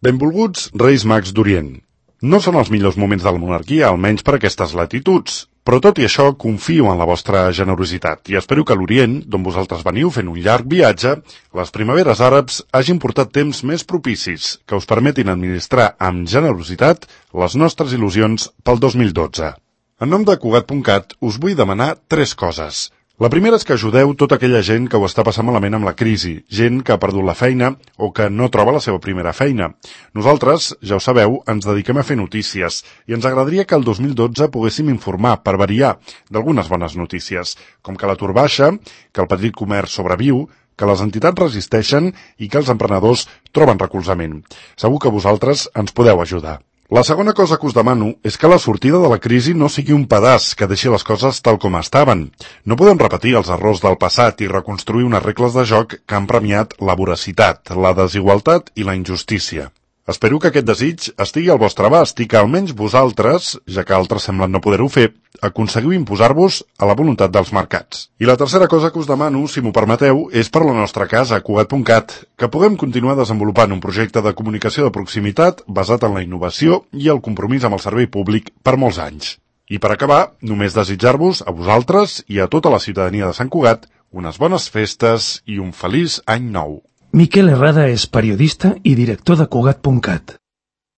Benvolguts Reis Mags d'Orient. No són els millors moments de la monarquia, almenys per aquestes latituds, però tot i això confio en la vostra generositat i espero que l'Orient, d'on vosaltres veniu fent un llarg viatge, les primaveres àrabs hagin portat temps més propicis que us permetin administrar amb generositat les nostres il·lusions pel 2012. En nom de Cugat.cat us vull demanar 3 coses. La primera és que ajudeu tota aquella gent que ho està passant malament amb la crisi, gent que ha perdut la feina o que no troba la seva primera feina. Nosaltres, ja ho sabeu, ens dediquem a fer notícies i ens agradaria que el 2012 poguéssim informar, per variar, d'algunes bones notícies, com que l'atur baixa, que el petit comerç sobreviu, que les entitats resisteixen i que els emprenedors troben recolzament. Segur que vosaltres ens podeu ajudar. La segona cosa que us demano és que la sortida de la crisi no sigui un pedaç que deixi les coses tal com estaven. No podem repetir els errors del passat i reconstruir unes regles de joc que han premiat la voracitat, la desigualtat i la injustícia. Espero que aquest desig estigui al vostre abast i que almenys vosaltres, ja que altres semblen no poder-ho fer, aconseguiu imposar-vos a la voluntat dels mercats. I la tercera cosa que us demano, si m'ho permeteu, és per la nostra casa, Cugat.cat, que puguem continuar desenvolupant un projecte de comunicació de proximitat basat en la innovació i el compromís amb el servei públic per molts anys. I per acabar, només desitjar-vos, a vosaltres i a tota la ciutadania de Sant Cugat, unes bones festes i un feliç any nou. Miquel Herrada és periodista i director de Cugat.cat.